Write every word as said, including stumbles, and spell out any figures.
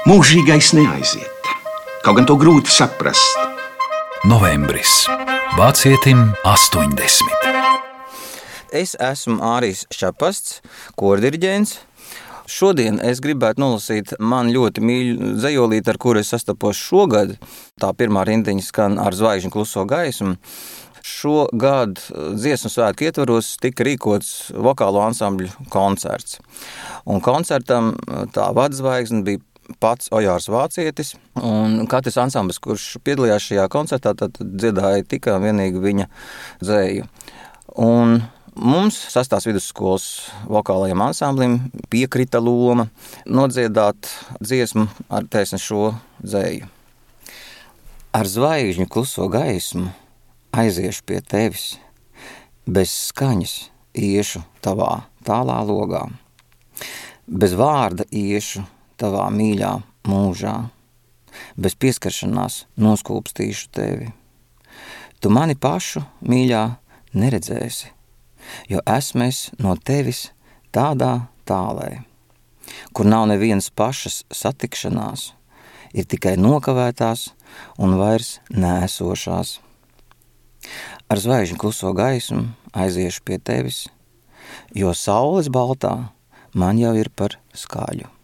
Mūžīgais neaiziet, kaut gan to grūti saprast. Novembris. Vācietim astoņdesmit. Es esmu Ārijs Šapasts, kordiriģents. Šodien es gribētu nolasīt man ļoti mīļu dzejolīti, ar kuru es sastapos šogad. Tā pirmā rindiņa skan Ar zvaigžņu kluso gaismu. Šogad dziesmu svētku ietvaros tika rīkots vokālo ansambļu koncerts. Un koncertam tā vadzvaigzne bija pats Ojārs Vācietis, un katrs ansamblis, kurš piedalījās šajā koncertā, tad dziedāja tikai un vienīgi viņa dzeju. Un mums sastās vidusskolas vokālajiem ansamblim piekrita loma nodziedāt dziesmu ar taisni šo dzeju. Ar zvaigžņu kluso gaismu aiziešu pie tevis, bez skaņas iešu tavā tālā logā, bez vārda iešu tavā mīļā mūžā, bez pieskaršanās noskūpstīšu tevi. Tu mani pašu mīļā neredzēsi, jo esmu es no tevis tādā tālē, kur nav nevienas pašas satikšanās, ir tikai nokavētās un vairs nēsošās. Ar zvaigžņu kluso gaismu aiziešu pie tevis, jo saules baltā man jau ir par skaļu.